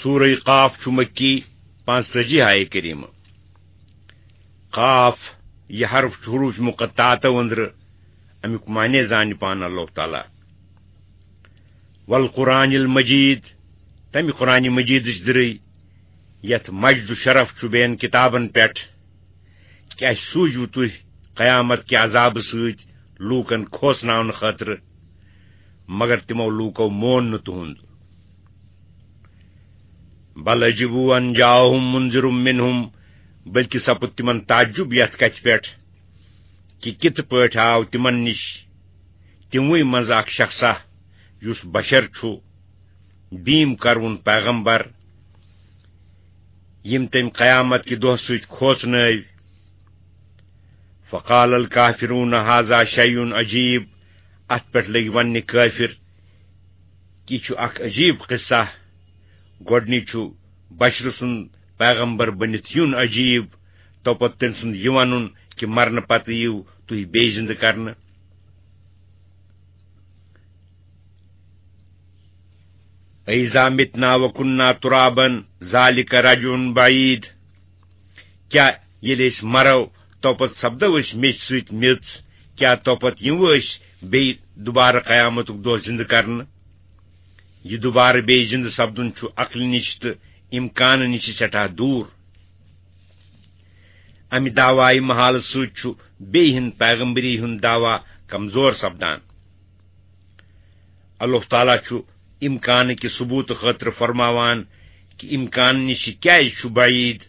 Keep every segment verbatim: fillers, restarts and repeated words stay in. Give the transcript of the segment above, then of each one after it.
سورہ قاف چھُ مکی، پانٛژتٲجی آیہِ کریمہ۔ قاف، یہِ حرف چھُ حروف مقطعاتو أنٛدرٕ، اَمیُک معنی زانہِ پانہٕ اللہ تعالیٰ۔ والقرآن المجید، تَمہِ قرآن مجیدٕچ دٕرٕے، یَتھ مجد و شرف چھُ بیٚین کِتابن پٮ۪ٹھ۔ کیٛازِ سوٗزوٕ تُہۍ قیامت کہِ عذابہٕ سۭتۍ لوٗکن کھوژناونہٕ خٲطرٕ؟ مگر تِمو لوٗکو مون نہٕ تُہُنٛد۔ بل عجبوا ان جاءهم منذر منهم، بلکہِ سپُد تِمن تعجب یتھ کتھِ پٮ۪ٹھ کہِ کِتھ پٲٹھۍ آو تِمن نِش تِموٕے منٛز اکھ شخصا یُس بشر چھُ، بیٖم کروُن پیغمبر، یِم تٔمۍ قیامت کہِ دۄہ سۭتۍ کھوژنٲوۍ۔ فقال الکافرون هذا شیء عجیب، اتھ پٮ۪ٹھ لٔگۍ وننہِ کٲفر، یہِ چھُ اکھ عجیب قصہ۔ گۄڈٕنِچ چھُ بشرٕ سُنٛد پیغمبر بٔنِتھ یُن عجیب، توپتہٕ تٔمۍ سُنٛد یہِ ونُن کہِ مرنہٕ پتہٕ یِیِو تُہۍ بیٚیہِ زِندٕ کرنہٕ۔ أَإِذَا مِتْنَا وَكُنَّا تُرَابًا ذَلِكَ رَجْعٌ بَعِيدٌ۔ کیٛاہ ییٚلہِ أسۍ مرو، توپتہٕ سپدو أسۍ میٚژِ سۭتۍ میٚژ؟ کیٛاہ توپتہٕ یِمو أسۍ بیٚیہِ دُبارٕ قیامتُک دۄہ زِندٕ کرنہٕ؟ یہِ دُبارٕ بیٚیہِ زِندٕ سپدُن چھُ عقلہِ نِش تہٕ اِمکانہٕ نِش سٮ۪ٹھاہ دوٗر۔ اَمہِ دعوایہِ محالہٕ سۭتۍ چھُ بیٚیہِ ہِنٛد پیغمبری ہُنٛد دعویٰ کمزور سپدان۔ اللہ تعالیٰ چھُ اِمکانہٕ کہِ ثبوٗتہٕ خٲطرٕ فرماوان کہِ اِمکان نِش کیٛازِ چھُ بعیٖد؟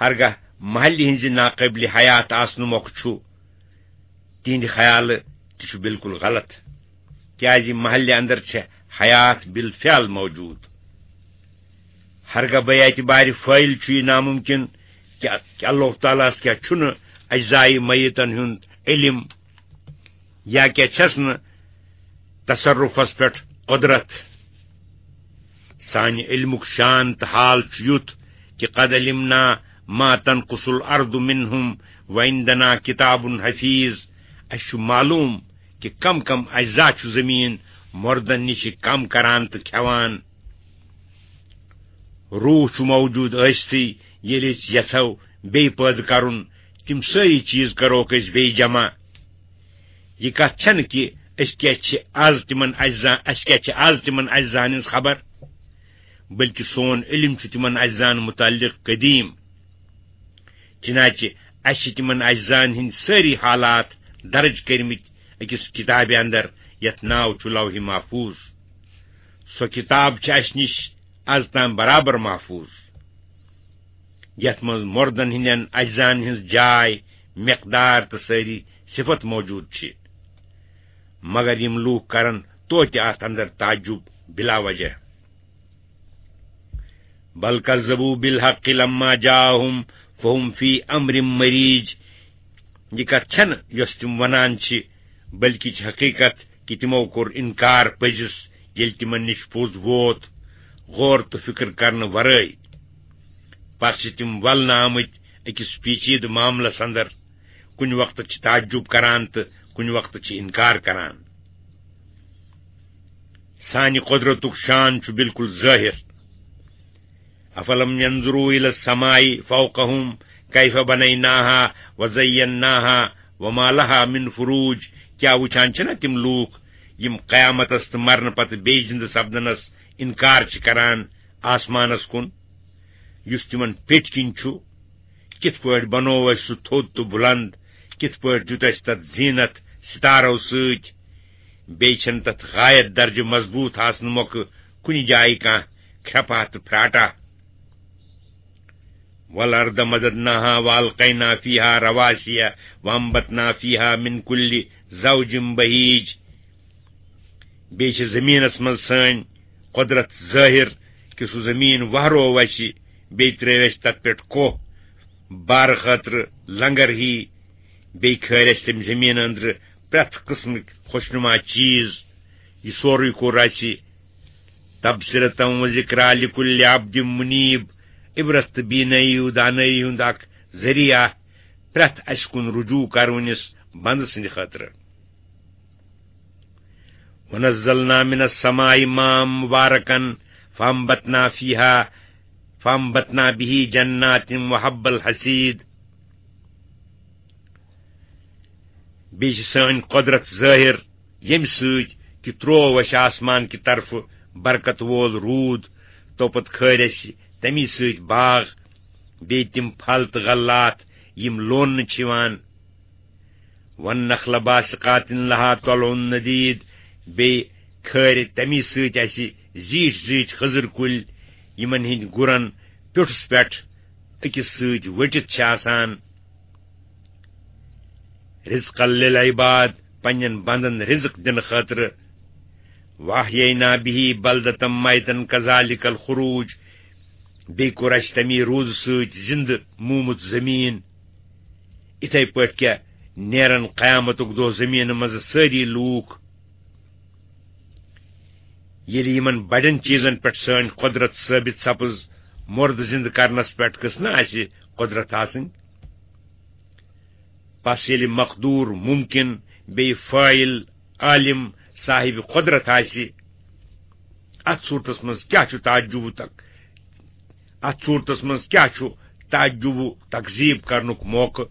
ہرگاہ محلہِ ہٕنٛزِ ناقٲبلِ حیات آسنہٕ مۄکھٕ چھُ تِہنٛدِ خیالہٕ تہِ چھُ بالکل غلط، کیٛازِ محلہِ اندر چھےٚ حیات بالفعل موجود۔ ہرگاہ بے اعتبارِ فٲعل چھُ یہِ ناممکن کہِ، کہِ اللہ تعالیٰ ہس کیٛاہ چھُنہٕ اجزائے میتن ہُنٛد علم، یا کیٛاہ چھَس نہٕ تصرفس پٮ۪ٹھ قدرت؟ سانہِ علمُک شان تہٕ حال چھُ یُتھ کہِ قد علمنا ما تنقص الارض منهم وعندنا کتاب حفیظ۔ اَسہِ چھُ معلوم کہِ کم کم اجزا چھُ زمین مردن نِش کم کران تہٕ کھٮ۪وان۔ روح چھُ موجود ٲسِتھٕے، ییٚلہِ أسۍ یژھو بیٚیہِ پٲدٕ کرُن، تِم سٲری چیٖز کروکھ أسۍ بیٚیہِ جمع۔ یہِ کتھ چھنہٕ کہِ أسۍ کیٛاہ چھِ از تِمن اجزا، اسہِ کیٛاہ چھِ از تِمن اجزاہن ہٕنٛز خبر، بلکہِ سون علم چھُ تِمن اجزاہن متعلق قدیم۔ چنانچہ اسہِ چھِ تِمن اجزاہن ہٕنٛدۍ سٲری حالات درج کٔرمٕتۍ أکِس کتابہِ اندر، یتھ ناو چھُ لوح محفوظ۔ سۄ کتاب چھِ اسہِ نِش از تام برابر محفوظ، یتھ منٛز مردن ہٕنٛدٮ۪ن اجزاہن ہٕنٛز جاے، مقدار تہٕ سٲری صفت موجود چھِ۔ مگر یِم لوٗکھ کرن توتہِ اتھ اندر تعجب بلا وجہ۔ بل کذبوا بالحق لما جاءهم فهم فی امر مریج۔ یہِ کتھ چھنہٕ یۄس تِم ونان چھِ، بلکہِ چھِ حقیقت کہِ تِمو کوٚر انکار پٔزِس، ییٚلہِ تِمن نِش پوٚز ووت، غور تہٕ فکر کرنہٕ ورٲے۔ پتہٕ چھِ تِم ولنہٕ آمٕتۍ أکِس پیچیدٕ معاملس اندر، کُنہِ وقتہٕ چھِ تعجب کران تہٕ کُنہِ وقتہٕ چھِ انکار کران۔ سانہِ قدرتُک شان چھُ بالکل ظٲہِر۔ افلم ينظروا الى السماء فوقهم كيف بنيناها وزيناها وما لها من فروج۔ کیٛاہ وٕچھان چھِنہ تِم لوٗکھ یِم قیامتس تہٕ مرنہٕ پتہٕ بیٚیہِ زِندٕ سپدنس انکار چھِ کران آسمانس کُن، یُس تِمن پیٚٹھۍ کِنۍ چھُ؟ کِتھ پٲٹھۍ بنوو اَسہِ سُہ تھوٚد تہٕ بُلند؟ کِتھ پٲٹھۍ دیُت اَسہِ تَتھ زیٖنت ستارو سۭتۍ؟ بیٚیہِ چھَنہٕ تَتھ غایت درجہٕ مضبوٗط آسنہٕ مۄکھٕ کُنہِ جایہِ کانٛہہ کھرٛپہٕ تہٕ پھراٹا۔ والارض مددناها والقینا فیها رواسی وانبتنا فیها من کل زوج بہیج۔ بیٚیہِ چھِ زٔمیٖنَس منٛز سٲنۍ قۄدرت ظٲہِر کہِ سُہ زٔمیٖن وہروو اَسہِ، بیٚیہِ ترٛٲوۍ اَسہِ تَتھ پٮ۪ٹھ کوہ بارٕ خٲطرٕ لنگر ہی، بیٚیہِ کھٲلۍ اَسہِ تَمہِ زٔمیٖنہٕ أنٛدرٕ پرٛٮ۪تھ قٕسمٕکۍ خۄشنُما چیٖز۔ یہِ سورُے کوٚر اَسہِ تبصرة و ذکریٰ لکل عبد منیب، عبرت تہٕ بینٲیی و دانٲیی ہُنٛد اکھ ذٔریعہٕ پرٛٮ۪تھ اَسہِ کُن رجوع کرونِس بندٕ سٕنٛدِ خٲطرٕ۔ ونزلنا من السماء ماء مباركا فَأَنبَتْنَا فِيهَا، فَأَنبَتْنَا بِهِ جَنَّاتٍ وَحَبَّ الْحَصِيدِ۔ بیٚیہِ چھِ سٲنۍ قۄدرت ظٲہِر، ییٚمہِ سۭتۍ کہِ ترٛوو اَسہِ آسمان کہِ طرفہٕ برکت وول روٗد، توپتہٕ کھٲرۍ اَسہِ تَمی سۭتۍ باغ، بیٚیہِ تِم پھل تہٕ غلات، یِم لوننہٕ چھِ یِوان۔ وَالنَّخْلَ بَاسِقَاتٍ لَهَا طَلْعٌ نَضِيدٌ، بیٚیہِ کھٲرۍ تَمی سۭتۍ اَسہِ زیٖٹھۍ زیٖٹھۍ خٔزٕر کُلۍ، یِمن ہٕنٛدۍ گُرن پیوٚٹھُس پٮ۪ٹھ أکِس سۭتۍ ؤٹِتھ چھِ آسان۔ رِزْقًا لِلْعِبَادِ، پننٮ۪ن بندن رِزق دِنہٕ خٲطرٕ۔ وَأَحْيَيْنَا بِهِ بَلْدَةً مَيْتًا كَذَلِكَ الْخُرُوجُ، بیٚیہِ کوٚر اَسہِ تَمی روٗدٕ سۭتۍ زِندٕ موٗمُت زٔمیٖن۔ یِتھے پٲٹھۍ کیٛاہ نیرن قیامتُک دۄہ زٔمیٖنہٕ منٛزٕ سٲری لوٗکھ؟ ییٚلہِ یِمن بڑٮ۪ن چیٖزن پٮ۪ٹھ سٲنۍ قۄدرت ثٲبت سپٕز، مُردٕ زِندٕ کرنس پٮ۪ٹھ گٔژھ نہ اَسہِ قۄدرت آسٕنۍ؟ پس ییٚلہِ مقدوٗر، مُمکِن، بیٚیہِ فٲعِل، عالم، صاحب قۄدرت آسہِ، اتھ صوٗرتس منٛز کیٛاہ چھُ تعجب و تک-، اتھ صوٗرتس منٛز کیٛاہ چھُ تعجب و تکذیب کرنُک موقعہٕ؟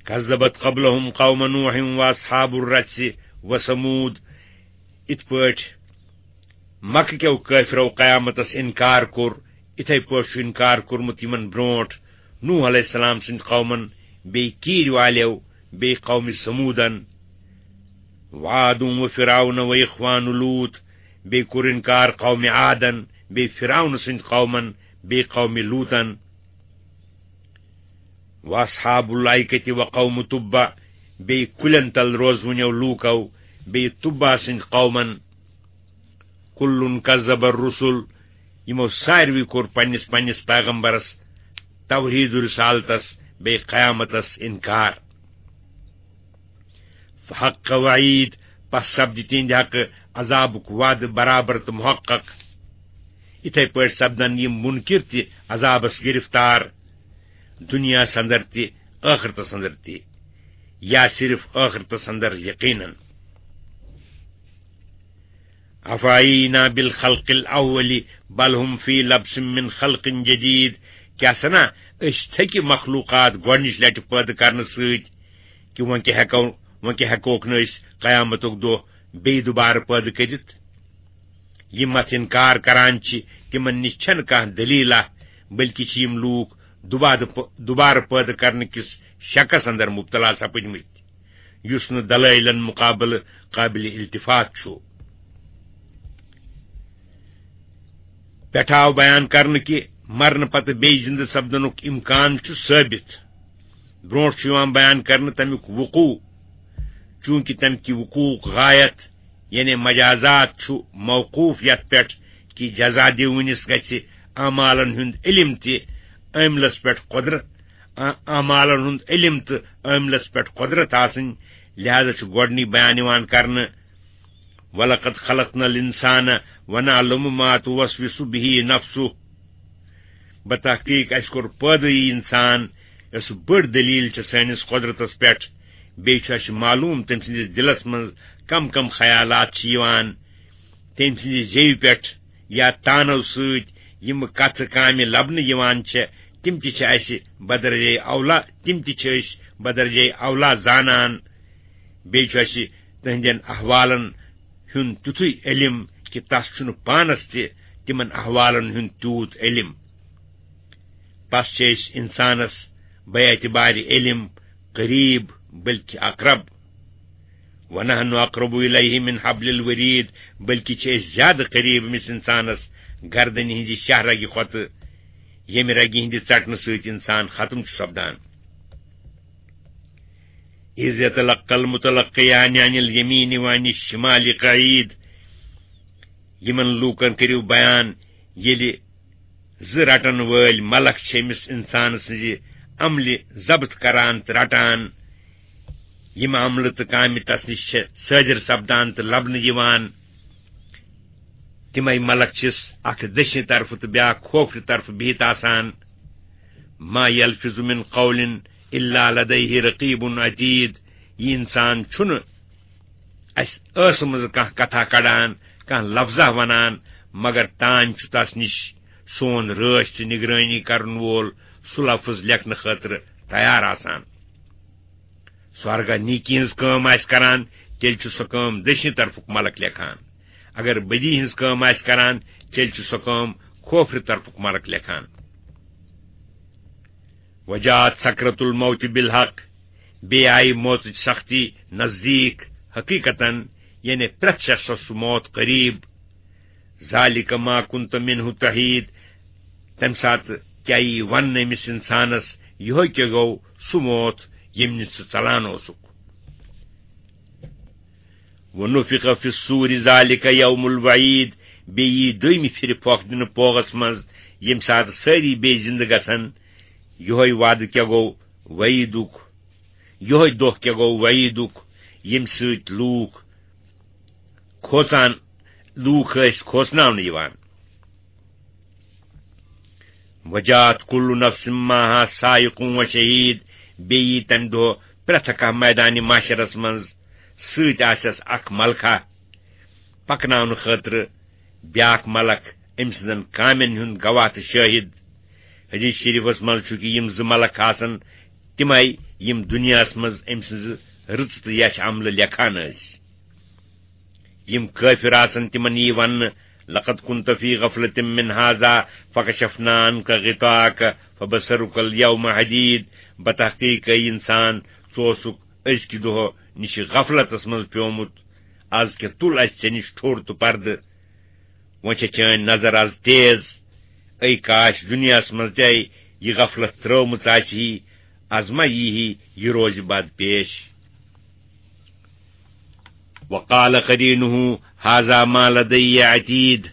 كذبت قبلهم قوم نوح وأصحاب الرس وثمود۔ یِتھ پٲٹھۍ مکہٕ کیو کٲفرو قیامتس انکار کوٚر، یِتھے پٲٹھۍ چھُ انکار کوٚرمُت یِمن برونٹھ نوح علیہ السلام سٕنٛدۍ قومن، بیٚیہِ کیٖرۍ والیو، بیٚیہِ قومِ ثمودن۔ وعاد وفرعون وإخوان لوط، بیٚیہِ کوٚر انکار قومِ عادن، بیٚیہِ فرعون سٕنٛدۍ قومن، بیٚیہِ قومِ لوطن۔ وأصحاب الأيكة وقوم تبع، بیٚیہِ کُلٮ۪ن تل روزوٕنٮ۪و لوٗکو، بیٚیہِ تُبع سٕنٛدۍ قومن۔ كل كذب الرسل، یِمو ساروٕے کوٚر پننِس پننِس پیغمبرس، توحید و رسالتس، بیٚیہِ قیامتس انکار۔ فحق وعید، پس سپدِ تِہنٛدِ حقہٕ عذابُک وعدٕ برابر تہٕ محقق۔ یِتھے پٲٹھۍ سپدن یِم منکر تہِ عذابس گرفتار، دنیاہس اندر تہِ، ٲخرتس اندر تہِ، یا صرف ٲخرتس اندر یقیناً۔ أفأينا بالخلق الأول بل هم في لبس من خلق جديد، کیٛاہ سنا أسۍ تھٔکہِ مخلوقات گۄڈنِچ لٹہِ پٲدٕ کرنہٕ سۭتۍ، کہِ وۄنۍ کیٛاہ ہٮ۪کو، وۄنۍ کیٛاہ ہٮ۪کوکھ نہٕ أسۍ قیامتُک دۄہ بیٚیہِ دُبارٕ پٲدٕ کٔرِتھ؟ یِم اتھ انکار کران چھِ، تِمن نِش چھنہٕ کانٛہہ دٔلیٖلہ، بلکہِ چھِ یِم لوٗکھ دُبارٕ پٲ-، دُبارٕ پٲدٕ کرنہٕ کِس شکس اندر مبتلا سپٕدمٕتۍ، یُس نہٕ دلٲیلن مقابلہٕ قابل التفات چھُ۔ پٮ۪ٹھٕ آو بیان کرنہٕ کہِ مرنہٕ پتہٕ بیٚیہِ زِندٕ سپدنُک امکان چھُ ثٲبت۔ برونٛٹھ چھُ یِوان بیان کرنہٕ تمیُک وقوع، چونکہ تمہِ کہِ وقوعُک غایت، یعنی مجازات، چھُ موقوف یتھ پٮ۪ٹھ کہِ جزا دِوٕنِس گژھِ اعمالن ہُنٛد علم تہِ عٲملس پٮ۪ٹھ قۄدرت، آ-، اعمالن ہُنٛد علم تہٕ عٲملس پٮ۪ٹھ قۄدرت آسٕنۍ، لہذا چھُ گۄڈنی بیان یِوان کرنہٕ، وَلَقَدْ خَلَقْنَا الْإِنسَانَ وَنَعْلَمُ مَا تُوَسْوِسُ بِهِ نَفْسُهُ۔ بتحقیق اَسہِ کوٚر پٲدٕ یہِ اِنسان، یۄس بٔڑ دٔلیٖل چھِ سٲنِس قۄدرتَس پٮ۪ٹھ۔ بیٚیہِ چھُ اَسہِ معلوٗم تٔمۍ سٕنٛدِس دِلَس منٛز کَم کَم خیالات چھِ یِوان۔ تٔمۍ سٕنٛزِ زیوِ پٮ۪ٹھ یا تانو سۭتۍ یِم کتھٕ کامہِ لبنہٕ یِوان چھےٚ، تِم تہِ چھِ اَسہِ بدرجے اولا، تِم تہِ چھِ أسۍ بدرجے اولا زانان۔ بیٚیہِ چھُ اَسہِ تِہنٛدٮ۪ن احوالن ہُنٛد تیُتھُے علم کہِ تس چھُنہٕ پانس تہِ تِمن احوالن ہُنٛد تیوٗت علم۔ پس چھِ أسۍ انسانس بے اعتبارِ علم قریب بلکہِ اقرب۔ وَنَحْنُ أَقْرَبُ إِلَيْهِ مِنْ حَبْلِ الْوَرِيدِ، بلکہِ چھِ أسۍ زیادٕ قریب أمِس اِنسانَس گردنہِ ہٕنٛزِ شاہ رگہِ کھۄتہٕ، ییٚمہِ رگہِ ہٕنٛدِ ژٹنہٕ سۭتۍ اِنسان ختم چھُ سپدان۔ إِذْ يَتَلَقَّى الْمُتَلَقِّيَانِ عَنِ الْيَمِينِ وَعَنِ الشِّمَالِ قَعِيدٌ، یِمن لوٗکن کٔرِو بیان، ییٚلہِ زٕ رٹن وٲلۍ ملک چھِ أمِس اِنسان سٕنٛزِ عملہِ ضبط کران تہٕ رٹان۔ یِم عملہٕ تہٕ کامہِ تس نِش چھِ صٲدِر سپدان تہٕ لبنہٕ یِوان، تِمے ملک چھِس اکھ دٔچھنہِ طرفہٕ تہٕ بیٛاکھ کھوفرِ طرفہٕ بِہِتھ آسان۔ ما یلفظ من قول الا لدیہ رقیب عتید۔ یہِ اِنسان چھُنہٕ اَسہِ ٲسہٕ منٛزٕ کانٛہہ کتھا کڑان، کانٛہہ لفظہ ونان، مگر تانۍ چھُ تس نِش سون رٲچھ تہٕ نگرٲنی کرن وول سُہ لفظ لیکھنہٕ خٲطرٕ تیار آسان۔ سُہ ہرگاہ نیکی ہٕنٛز کٲم آسہِ کران، تیٚلہِ چھُ سۄ کٲم دٔچھنہِ طرفُک ملک لیکھان۔ اگر بدی ہٕنٛز کٲم آسہِ کران، تیٚلہِ چھُ سۄ کٲم کھوفرِ طرفُک ملک لیکھان۔ وجاءت سکرۃ الموت بالحق، بیٚیہِ آیہِ موتٕچ سختی نزدیٖک حقیٖقتن، یعنی پرٛٮ۪تھ شخصس چھُ موت قریب۔ ذالک ما کنت منہ تحید، تمہِ ساتہٕ کیٛاہ یی وننہٕ أمِس انسانس، یِہوے کیٛاہ گوٚو سُہ موت ییٚمہِ نِش ژٕ ژلان اوسُکھ۔ ونفخ فی الصور ذالک یوم الوعید، بیٚیہِ یی دوٚیمہِ پھِرِ پھۄکھ دِنہٕ پوغس منٛز، ییٚمہِ ساتہٕ سٲری بیٚیہِ زِندٕ گژھن۔ یِہوے وعدٕ کیٛاہ گوٚو وعیدُک، یِہوے دۄہ کیٛاہ گوٚو وعیدُک، ییٚمہِ سۭتۍ لوٗکھ کھوژان، لوٗکھ ٲسۍ کھوژناونہٕ یِوان۔ وجاءت کل نفس معها سائق و شہید، بیٚیہِ یی تمہِ دۄہ پرٛٮ۪تھ کانٛہہ میدانِ محشرس منٛز، سۭتۍ آسٮ۪س اکھ ملکہ پکناونہٕ خٲطرٕ بیاکھ ملک، أمۍ سٕنٛزن کامٮ۪ن ہُنٛد گواہ تہٕ شٲہد۔ حدیث شریفس منٛز چھُ کہِ یِم زٕ ملک آسن تِمے، یِم دُنیاہس منٛز أمۍ سٕنٛزٕ رٕژٕ تہٕ یچھِ عملہٕ لیکھان ٲسۍ۔ یِم کٲفِر آسن، تِمن یی وننہٕ، "لقد كنت في غفلة من هذا فكشفنا عنك غطاءك فبصرك اليوم حديد"، بتحقیق اے انسان، ژٕ اوسُکھ أزکہِ دۄہ نِش غفلتس منٛز پیومُت، از کیٛاہ تُل اسہِ ژےٚ نِش ٹھوٚر تہٕ پردٕ؟ وۄنۍ چھےٚ چٲنۍ نظر از تیز۔ اے کاش دُنیاہس منٛز تہِ یہِ غفلت ترٲومٕژ آسہِ ہی، از ما یی ہی یہِ روزِ بد پیش۔ وقال قرينه هذا ما لدي عتيد۔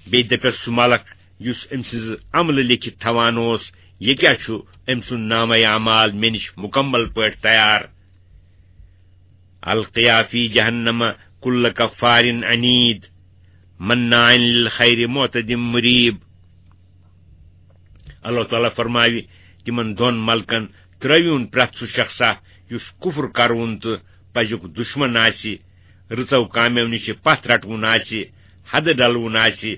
بیٚیہِ دپٮ۪س سُہ ملک یُس أمۍ سٕنٛز عملہٕ لیکھِتھ تھاوان اوس، "یہِ کیٛاہ چھُ أمۍ سُنٛد نامہ اعمال مےٚ نِش مکمل پٲٹھۍ تیار"۔ القيا في جهنم كل كفار عنيد مناع للخير معتد مريب۔ اللہ تعالیٰ فرماوِ، تِمن دۄن ملکن ترٲوِوُن پرٛٮ۪تھ سُہ شخصا یُس کفر کرون تہٕ پزیُک دشمن آسہِ، رٕژو کامیو نِش پتھ رٹوُن آسہِ، حدٕ ڈلوُن آسہِ،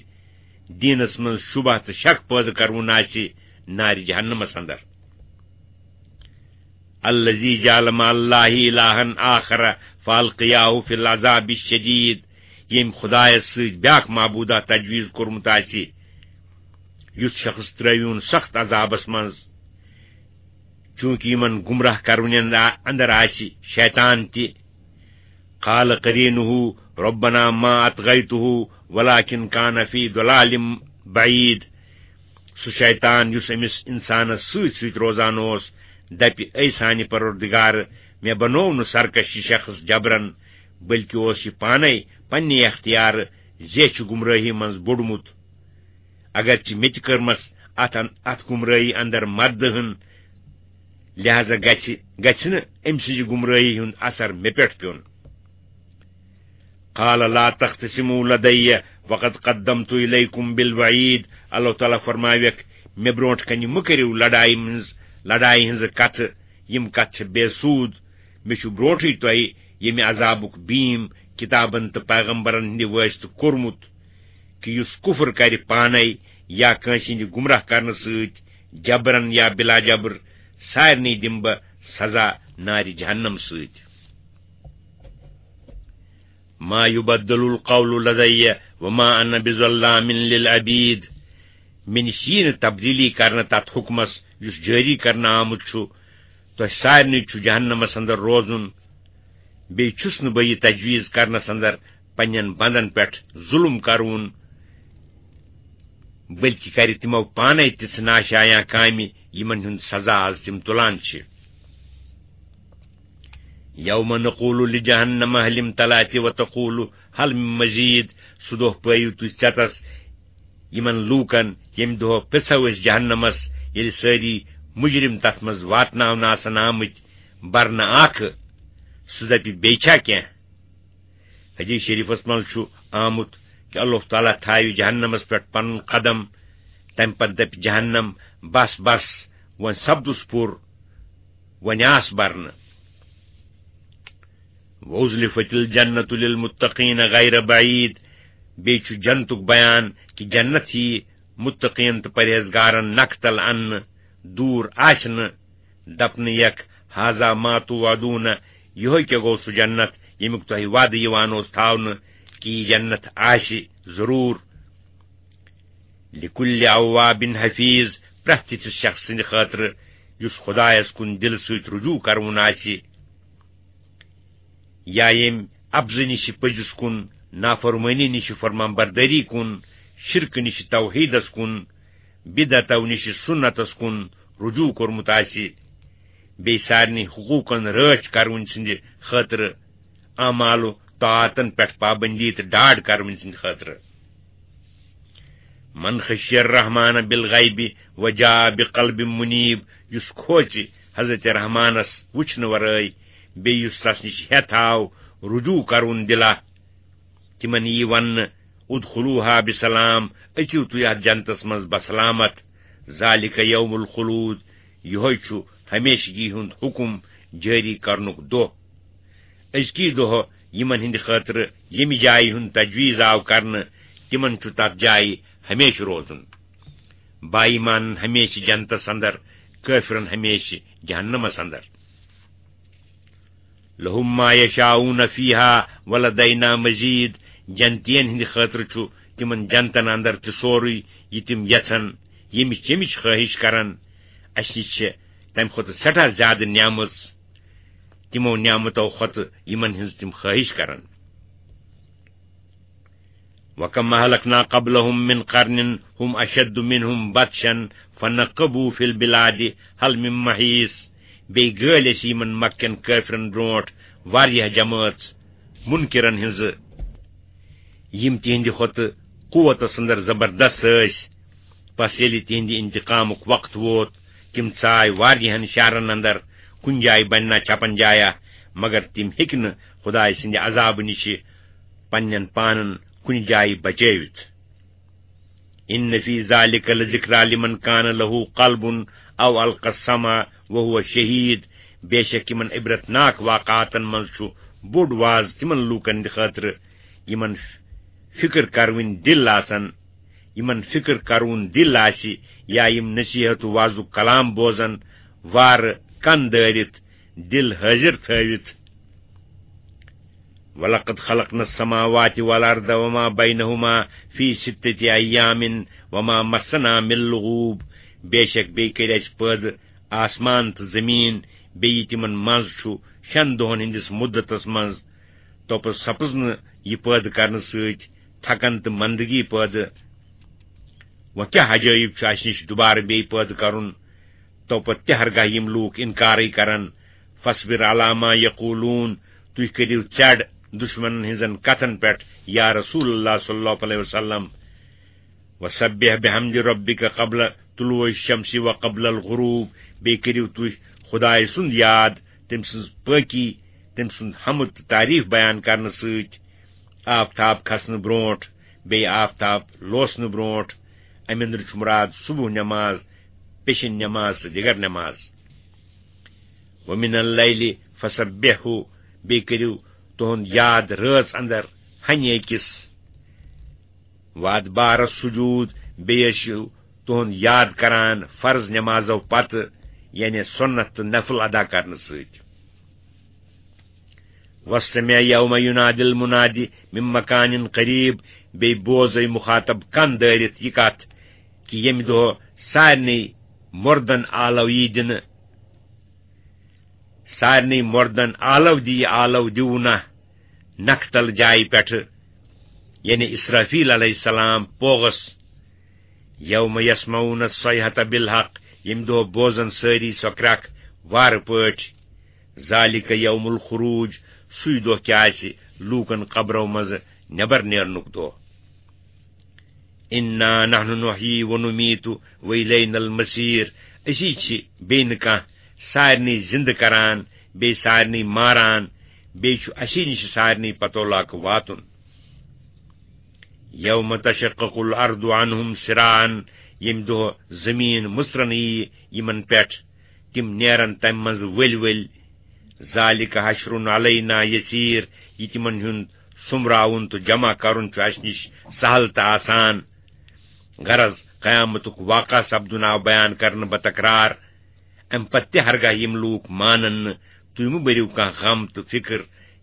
دیٖنس منٛز شبہ تہٕ شک پٲدٕ کرون آسہِ، نارِ جہنمس اندر۔ الذي جعل مع الله إلها آخر فألقياه في العذاب الشديد، ییٚمۍ خدایس سۭتۍ بیاکھ معبوٗدہ تجویز کوٚرمُت آسہِ، یُتھ شخص ترٲوِوُن سخت عذابس منٛز، چوٗنٛکہِ یِمن گمراہ کرونٮ۪ن اندر آسہِ شیطان تہِ۔ قال قرينه ربنا ما أطغيته ولكن كان في ضلال بعيد۔ سُہ شیطان یُس أمِس اِنسانس سۭتۍ سۭتۍ روزان اوس، دپہِ، "اے سانہِ پروردگار، مےٚ بنوو نہٕ سرکش یہِ شخص جبرن، بلکہِ اوس یہِ پانے پننہِ اختیارٕ زیچھِ گمرٲہی منٛز بوٚڑمُت۔ اگرچہِ مےٚ تہِ کٔرمس اتھ ان-، اتھ گمرٲہی اندر مدد ہن، لہذا گژھِ، گژھِ نہٕ أمۍ سٕنٛزِ گمرٲہی ہُنٛد اثر مےٚ پٮ۪ٹھ پیوٚن۔" قال لا تختصموا لدي وقد قدمت إليكم بالوعيد۔ اللہ تعالیٰ فرماویکھ، "مےٚ برونٛٹھ کنہِ مہٕ کٔرِو لڑایہِ منٛز، لڑایہِ ہٕنٛزٕ کتھٕ، یِم کتھٕ چھِ بے سوٗد۔ مےٚ چھُ برونٛٹھٕے تۄہہِ ییٚمہِ عذابُک بیٖم کتابن تہٕ پیغمبرن ہٕنٛدِ وٲسطہٕ کوٚرمُت، کہِ یُس کفر کرِ پانے یا کٲنٛسہِ ہٕنٛدِ گمراہ کرنہٕ سۭتۍ، جبرن یا بلا جبر، سارنٕے دِمہٕ بہٕ سزا نارِ جہنم سۭتۍ۔" ما يبدل القول لدي وما أنا بظلام للعبيد۔ مےٚ نِش یی نہٕ تبدیلی کرنہٕ تتھ حکمس یُس جٲری کرنہٕ آمُت چھُ۔ تۄہہِ سارنٕے چھُ جہنمس اندر روزُن۔ بیٚیہِ چھُس نہٕ بہٕ یہِ تجویز کرنس اندر پننٮ۪ن بندن پٮ۪ٹھ ظلم کرُن، بلکہِ کرِ تِمو پانے تِژھ ناشایاں کامہِ، یِمن ہُنٛد سزا از تِم تُلان چھِ۔ يوم نقول لجهنم هل امتلأت وتقول هل من مزيد۔ سُہ دۄہ پٲیِو تُہۍ ژٮ۪تس یِمن لوٗکن، ییٚمہِ دۄہ پرٛژھو أسۍ جہنمس، ییٚلہِ سٲری مجرم تتھ منٛز واتناونہٕ آسن آمٕتۍ، برنہٕ اکھ، سُہ دپہِ، "بیٚیہِ چھا کینٛہہ؟" حدیث شریفس منٛز چھُ آمُت کہِ اللہ تعالیٰ تھاوِ جہنمس پٮ۪ٹھ پنُن قدم، تمہِ پتہٕ دپہِ جہنم، "بس، بس، وۄنۍ سپدُس پوٚر، وۄنۍ آس برنہٕ۔" وَأُزْلِفَتِ الْجَنَّةُ لِلْمُتَّقِينَ غَيْرَ بَعِيدٍ، بیٚیہِ چھُ جنتُک بیان کہِ جنت یِیہِ مُتقیٖن تہٕ پرہیزگارن نکھٕ تل اننہٕ، دوٗر آسہِ نہٕ۔ دپنہٕ یکھ، "هذا ما توعدون"، یِہوٚے کیٛاہ گوٚو سُہ جنت ییٚمیُک تۄہہِ وعدٕ یِوان اوس تھاونہٕ کہِ یہِ جنت آسہِ ضروٗر۔ لِکُلِّ اَوَّابٍ حَفِیظ، پرٛٮ۪تھ تِتھِس شخص سٕنٛدِ خٲطرٕ یُس خۄدایَس کُن دِلہٕ سۭتۍ رجوع کَرُن آسہِ، یا ییٚمۍ اَپزٕ نِشہِ پٔزِس کُن، نافرمٲنی نِشہِ فرمان بردٲری کُن، شِرکہٕ نِشہِ توحیٖدَس کُن، بِدعتو نِشہِ سُنتَس کُن رجوع کوٚرمُت آسہِ، بیٚیہِ سارنٕے حقوٗقَن رٲچھ کَرٕوٕنۍ سٕنٛدِ خٲطرٕ اعمال و طاعتن پٮ۪ٹھ پابندی تہٕ ڈاڈ کرونہٕ سٕنٛدِ خٲطرٕ۔ من خشی الرحمن بالغیب وجاء بقلب منیب، یُس کھوژِ حضرت رحمانس وٕچھنہٕ ورٲے، بیٚیہِ یُس تس نِش ہٮ۪تھ آو رجوع کرُن دِلا، تِمن یی وننہٕ، "ادخلوها بسلام"، أژِو تُہۍ اتھ جنتس منٛز بسلامت۔ ذالک یوم الخلود، یِہوٚے چھُ ہمیشگی ہُنٛد حُکم جٲری کرنُک دۄہ۔ أزکی دۄہ یِمن ہٕنٛدِ خٲطرٕ ییٚمہِ جایہِ ہُنٛد تجویٖز آو کرنہٕ، تِمن چھُ تتھ جایہِ ہمیشہٕ روزُن۔ با ایمانن ہمیشہٕ جنتس اندر، کٲفرن ہمیشہٕ جہنمس اندر۔ لہم ما یشاؤون فیہا ولدینا مزید، جنتین ہٕنٛدِ خٲطرٕ چھُ تِمن جنتن اندر تہِ سورُے یہِ تِم یژھن، ییٚمِچ ییٚمِچ خٲہِش کرن۔ اسہِ نِش چھِ تمہِ کھۄتہٕ سٮ۪ٹھاہ زیادٕ نعمژ، تِمو نعمتو کھۄتہٕ یِمن ہٕنٛز تِم خٲہِش کرن۔ وَكَمْ أَهْلَكْنَا قَبْلَهُمْ مِنْ قَرْنٍ هُمْ أَشَدُّ مِنْهُمْ بَطْشًا فَنَكَّبُوا فِي الْبِلَادِ هَلْ مِنْ مَحِيصٍ۔ بیٚیہِ گٲلۍ اَسہِ یِمن مکہ کٮ۪ن کٲفرن برونٹھ واریاہ جمٲژ منکرن ہٕنٛزٕ، یِم تِہنٛدِ کھۄتہٕ قوتس اندر زبردست ٲسۍ۔ پس ییٚلہِ تِہنٛدِ انتقامُک وقت ووت، تِم ژاے واریاہن شہرن اندر، کُنہِ جایہِ بننا چھپن جایا، مگر تِم ہیٚکۍ نہٕ خدایہِ سٕنٛدِ عذابہٕ نِشہِ پننٮ۪ن پانن کُنہِ جایہِ بچٲوِتھ۔ ان فی ذالک لذکری لمن کان لہ قلب او القی السمع وہو شہید، بے شک یِمن عبرتناک واقعاتن منٛز چھُ بوٚڑ واز تِمن لوٗکن ہٕنٛدِ خٲطرٕ یِمن فکر کرٕوٕنۍ دِل آسن، یِمن فکر کرٕوُن دِل آسہِ، یا یِم نصیحت و وعظُک کلام بوزن، وارٕ کن دٲرِتھ، دِل حٲضِر تھٲوِتھ۔ وَلَقَدْ خَلَقْنَا السَّمَاوَاتِ وَالْأَرْضَ وَمَا بَيْنَهُمَا فِي سِتَّةِ أَيَّامٍ وَمَا مَسَّنَا مِنْ لُغُوبٍ۔ بے شک بیٚیہِ کٔرۍ اَسہِ پٲدٕ آسمان تہٕ زٔمیٖن، بیٚیہِ تِمن منٛز چھُ شٮ۪ن دۄہن ہٕنٛدِس مُدتس منٛز۔ توپس سپٕز نہٕ یہِ پٲدٕ کرنہٕ سۭتۍ تھکن تہٕ مندگی پٲدٕ۔ وۄنۍ کیٛاہ عجٲیب چھُ اَسہِ نِش دُبارٕ بیٚیہِ پٲدٕ کرُن؟ تو پتہٕ تہِ ہرگاہ یِم لوٗکھ اِنکارٕے کرن، فاصبر علی ما یقولون، تُہۍ کٔرِو ژٮ۪ڈ دُشمنن ہٕنٛزن کتھن پٮ۪ٹھ، یا رسول اللہ صلی اللہ علیہ وسلم۔ وسبح بحمد ربک قبل طلوع الشمس و قبل الغروب، بیٚیہِ کٔرِو تُہۍ خدایہِ سُنٛد یاد، تٔمۍ سٕنٛز پٲکی، تٔمۍ سُنٛد حمد تہٕ تعریف بیان کرنہٕ سۭتۍ، آفتاب کھسنہٕ برونٹھ، بیٚیہِ آفتاب لوسنہٕ برونٹھ۔ اَمہِ اندرٕ چھُ مُراد صبح نٮ۪ماز، پیشن نٮ۪ماز تہٕ دِگر نٮ۪ماز۔ وَمِنَ اللَّيْلِ فَسَبِّحْهُ، بیٚیہِ کٔرِو تُہُنٛد یاد رٲژ اندر ہنہِ أکِس۔ وَأَدْبَارَ السُّجُودِ، بیٚیہِ ٲسِو تُہُنٛد یاد کران فرض نٮ۪مازو پتہٕ، یعنی سُنت تہٕ نفل ادا کرنہٕ سۭتۍ۔ وَاسْتَمِعْ يَوْمَ يُنَادِ الْمُنَادِ مِنْ مَكَانٍ قَرِيبٍ، بیٚیہِ بوزے مُخاطب کن دٲرِتھ یہِ کتھ کہِ ییٚمہِ دۄہ سارنٕے مردن آلو یی دِنہٕ، سارنٕے مردن آلو دِیہِ، آلو دِیوٗنہ نکھٕ تل جایہِ پٮ۪ٹھٕ، یعنی اسرافیل علیہ السلام پوغس۔ یوم یسمعون الصیحۃ بالحق، ییٚمہِ دۄہ بوزن سٲری سۄ کرٛکھ وارٕ پٲٹھۍ۔ ذالک یوم الخروج، سُے دۄہ کیٛاہ آسہِ لوٗکن قبرو منٛزٕ نٮ۪بر نیرنُک دۄہ۔ انا نحن نحیی و نمیت و الینا المصیر، أسی چھِ بیٚیہِ نہٕ کانٛہہ، سارنٕے زِندٕ کران، بیٚیہِ سارنٕے ماران، بیٚیہِ چھُ اَسی نِش سارنٕے پتولاکہٕ واتُن۔ یوم تشقق الارض عنہم سراعا، ییٚمہِ دۄہ زٔمیٖن مٕژرن ییہِ یِمن پٮ۪ٹھ، تِم نیرن تمہِ منٛزٕ ؤلۍ ؤلۍ۔ ذالک حشر علینا یسیر، یہِ تِمن ہُنٛد سوٚمراوُن تہٕ جمع کرُن چھُ اسہِ نِش سہل تہٕ آسان۔ غرض، قیامتُک واقعہ سپدُن آو بیان کرنہٕ بتکرار۔ امہِ پتہٕ تہِ ہرگاہ یِم لوٗکھ مانن نہٕ، تُہۍ مہٕ بٔرِو کانٛہہ غم تہٕ فکر،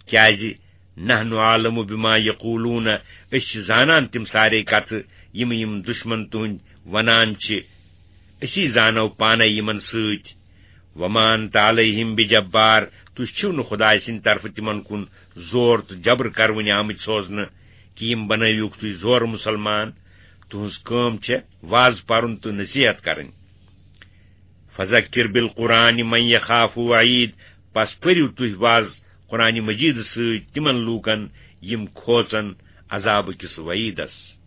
کیازِ نحن عالم بما یقولون، أسۍ چھِ زانان تِم سارے کتھٕ یِم یِم دشمن تُہنٛدۍ ونان چھِ، أسی زانو پانے یِمن سۭتۍ۔ وما انت علیہم بجبار، تُہۍ چھِو نہٕ خداے سٕنٛدِ طرفہٕ تِمن کُن زور تہٕ جبر کرونہِ آمٕتۍ سوزنہٕ، کہِ یِم بنٲوِوکھ تُہۍ زورٕ مسلمان۔ تُہنٛز کٲم چھےٚ واز پرُن تہٕ نصیحت کرٕنۍ۔ فذکر بالقرآن من یخاف وعید، پس پٔرِو تُہۍ واز قرآن مجیدٕ سۭتۍ تِمن لوٗکن یِم کھوژن عذابہٕ کِس وعیدس۔